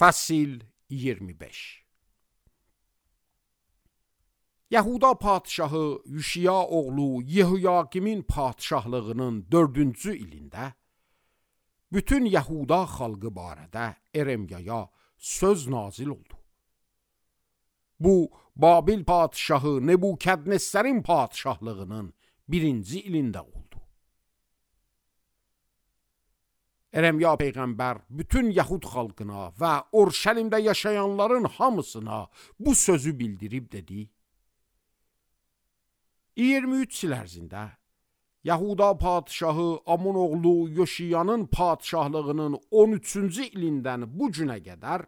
Fəsil 25. Yahuda padşahı Yüşiya oğlu Yehoyakimin padşahlığının 4-cü ilində bütün Yahuda xalqı barədə Eremyaya söz nazil oldu. Bu, Babil padşahı Nebukadnesərin padşahlığının 1-ci ilində oldu. Eremya peyğəmbər bütün Yahud xalqına və Urşəlimdə yaşayanların hamısına bu sözü bildirib dedi: 23 il ərzində Yahuda padşahı Amon oğlu Yoşiyanın padşahlığının 13-cü ilindən bu günə qədər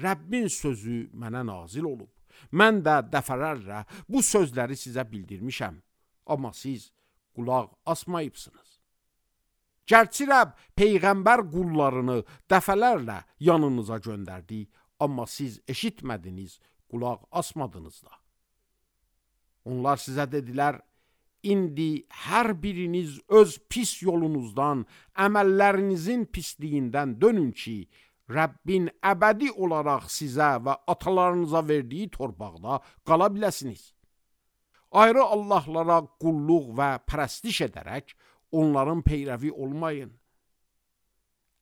Rəbbin sözü mənə nazil olub. Mən də dəfələrlə bu sözləri sizə bildirmişəm, amma siz qulaq asmayıbsınız. Gərçi Rəbb peyğəmbər qullarını dəfələrlə yanınıza göndərdi, amma siz eşitmədiniz, qulaq asmadınız da. Onlar sizə dedilər: İndi hər biriniz öz pis yolunuzdan, əməllərinizin pisliyindən dönün ki, Rəbbin əbədi olaraq sizə və atalarınıza verdiyi torpaqda qala biləsiniz. Ayrı Allahlara qulluq və pərəstiş edərək onların peyrəvi olmayın.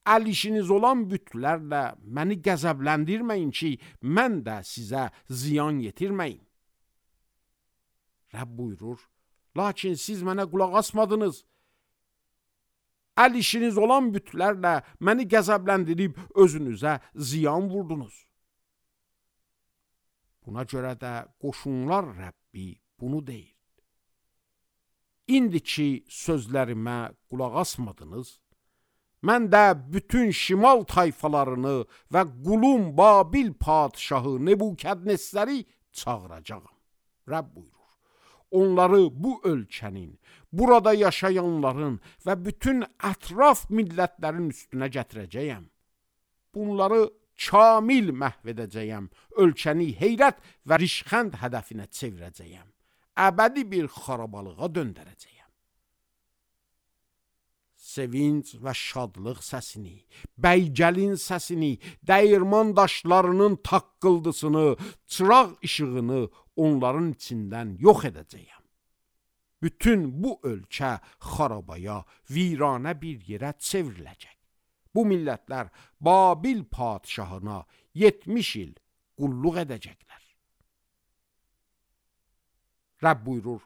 Əl işiniz olan bütlərlə məni qəzəbləndirməyin ki, mən də sizə ziyan yetirməyim. Rəbb buyurur: lakin siz mənə qulaq asmadınız. Əl işiniz olan bütlərlə məni qəzəbləndirib özünüzə ziyan vurdunuz. Buna görə də qoşunlar Rəbbi bunu deyir: İndi ki sözlərimə qulaq asmadınız, mən də bütün şimal tayfalarını və qulum Babil padşahı Nebukadnesəri çağıracağam. Rəbb buyurur: onları bu ölkənin, burada yaşayanların və bütün ətraf millətlərin üstünə gətirəcəyəm. Bunları kamil məhv edəcəyəm, ölkəni heyrət və rişxənd hədəfinə çevirəcəyəm. Əbədi bir xarabalığa döndərəcəyəm. Sevinç və şadlıq səsini, bəygəlin səsini, dəyirman daşlarının taqqıldısını, çıraq işığını onların içindən yox edəcəyəm. Bütün bu ölkə xarabaya, viranə bir yerə çevriləcək. Bu millətlər Babil padşahına 70 il qulluq edəcəklər. Rəbb buyurur: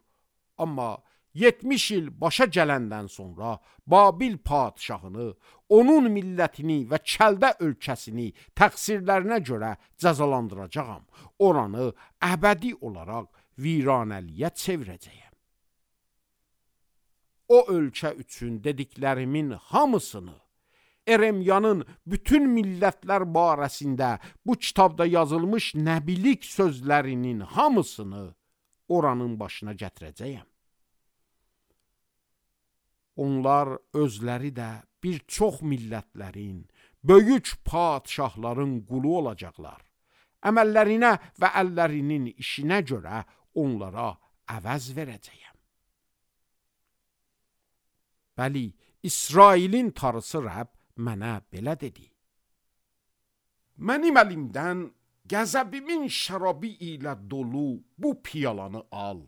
amma 70 il başa gələndən sonra Babil padşahını, onun millətini və Kəldə ölkəsini təqsirlərinə görə cəzalandıracağam. Oranı əbədi olaraq viranəliyə çevirəcəyəm. O ölkə üçün dediklərimin hamısını, Eremyanın bütün millətlər barəsində bu kitabda yazılmış nəbilik sözlərinin hamısını oranın başına gətirəcəyəm. Onlar özləri də bir çox millətlərin, böyük padşahların qulu olacaqlar. Əməllərinə və əllərinin işinə görə onlara əvəz verəcəyəm. Bəli, İsrailin tarısı Rəbb mənə belə dedi: mənim əlimdən qəzəbimin şərabı ilə dolu bu piyalanı al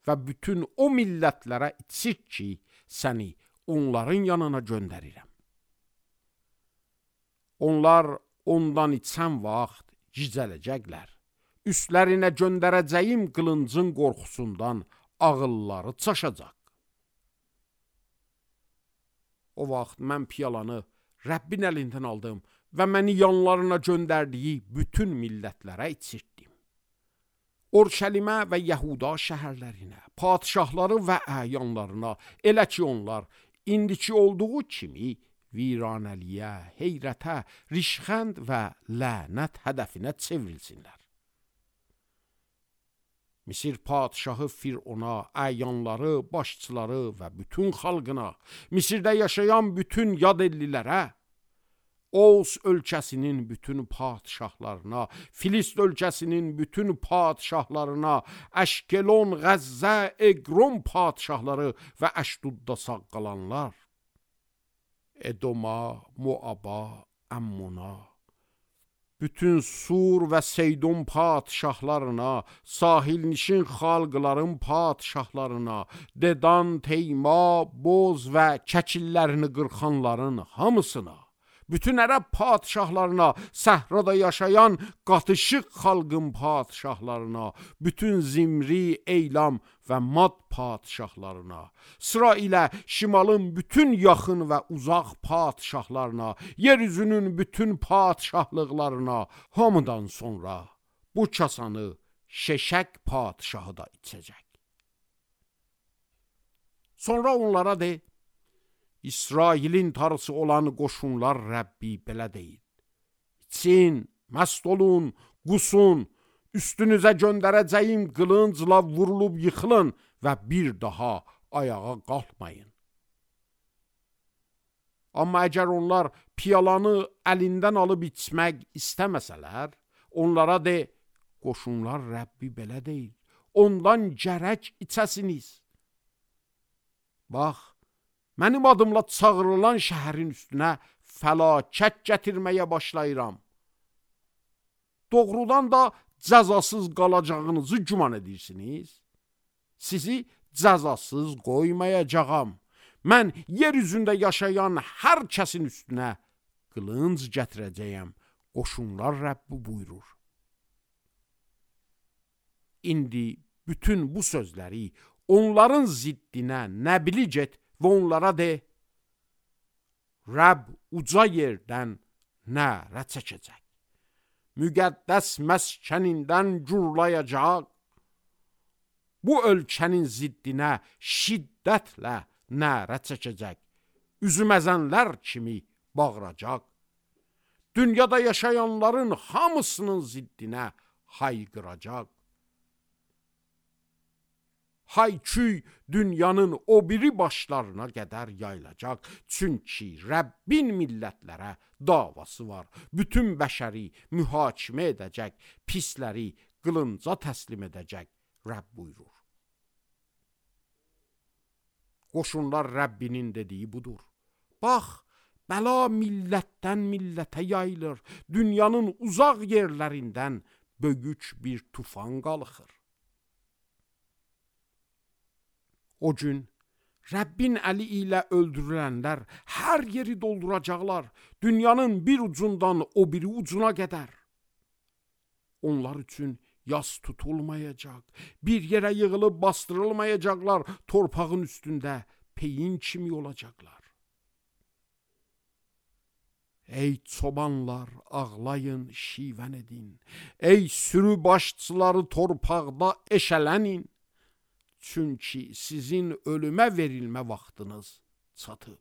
və bütün o millətlərə içir ki, səni onların yanına göndərirəm. Onlar ondan içən vaxt gicələcəklər. Üstlərinə göndərəcəyim qılıncın qorxusundan ağılları çaşacaq. O vaxt mən piyalanı Rəbbin əlindən aldım və məni yanlarına göndərdiyi bütün millətlərə içirtdim. Urşəlimə və Yahuda şəhərlərinə, padşahları və əyanlarına, elə ki onlar indiki olduğu kimi viranəliyə, heyrətə, rişxənd və lənət hədəfinə çevrilsinlər. Misir padşahı Firona, əyanları, başçıları və bütün xalqına, Misirdə yaşayan bütün yad ellilərə, Oğuz ölkəsinin bütün padşahlarına, Filist ölkəsinin bütün padşahlarına, Əşkelon, Qəzzə, Eqron padşahları və Əşdudda sağ qalanlar, Edoma, Moaba, Əmmona, bütün Sur və Seydon padişahlarına, sahilnişin xalqların padişahlarına, Dedan, Teyma, Boz və Kəkillərini qırxanların hamısına, bütün ərəb padişahlarına, səhrada yaşayan qatışıq xalqın padişahlarına, bütün Zimri, Eylam və Mad padişahlarına, sıra ilə şimalın bütün yaxın və uzaq padişahlarına, yeryüzünün bütün padişahlıqlarına, hamıdan sonra bu kasanı Şeşək padişahı da içəcək. Sonra onlara de, İsrailin tarısı olan qoşunlar Rəbbi belə deyir: İçin, məst olun, qusun, üstünüzə göndərəcəyim qılıncla vurulub yıxılın və bir daha ayağa qalxmayın. Amma əgər onlar piyalanı əlindən alıb içmək istəməsələr, onlara de, qoşunlar Rəbbi belə deyir: ondan gərək içəsiniz. Bax, mənim adımla çağırılan şəhərin üstünə fəlakət gətirməyə başlayıram. Doğrudan da cəzasız qalacağınızı güman edirsiniz. Sizi cəzasız qoymayacağam. Mən yer üzündə yaşayan hər kəsin üstünə qılınc gətirəcəyəm. Qoşunlar Rəbbi buyurur. İndi bütün bu sözləri onların ziddinə Nəbili get və onlara de, Rəbb uca yerdən nərə çəkəcək, müqəddəs məskənindən gurlayacaq, bu ölkənin ziddinə şiddətlə nərə çəkəcək, üzüməzənlər kimi bağıracaq, dünyada yaşayanların hamısının ziddinə hayqıracaq. Hay-küy dünyanın o biri başlarına qədər yayılacaq. Çünki Rəbbin millətlərə davası var. Bütün bəşəri mühakimə edəcək, pisləri qılınca təslim edəcək. Rəbb buyurur. Qoşunlar Rəbbinin dediyi budur. Bax, bəla millətdən millətə yayılır. Dünyanın uzaq yerlərindən böyük bir tufan qalxır. O gün Rəbbin əli ilə öldürülənlər hər yeri dolduracaqlar, dünyanın bir ucundan o biri ucuna qədər. Onlar üçün yas tutulmayacaq, bir yerə yığılıb bastırılmayacaqlar, torpağın üstündə peyin kimi olacaqlar. Ey çobanlar, ağlayın, şivən edin. Ey sürü başçıları torpaqda eşələnin. Çünki sizin ölümə verilmə vaxtınız çatıb.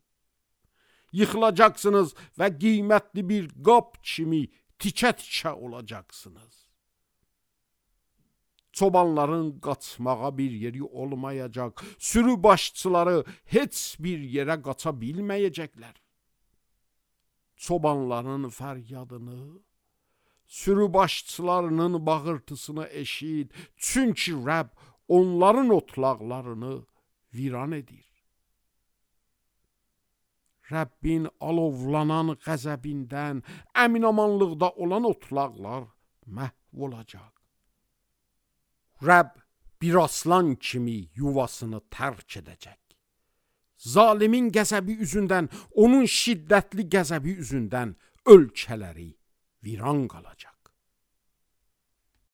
Yıxılacaqsınız və qiymətli bir qab kimi tikə-tikə olacaqsınız. Çobanların qaçmağa bir yeri olmayacaq. Sürü başçıları heç bir yerə qaça bilməyəcəklər. Çobanların fəryadını, sürü başçılarının bağırtısını eşit. Çünki Rəbb onların otlaqlarını viran edir. Rəbbin alovlanan qəzəbindən əminamanlıqda olan otlaqlar məhv olacaq. Rəbb bir aslan kimi yuvasını tərk edəcək. Zalimin qəzəbi üzündən, onun şiddətli qəzəbi üzündən ölkələri viran qalacaq.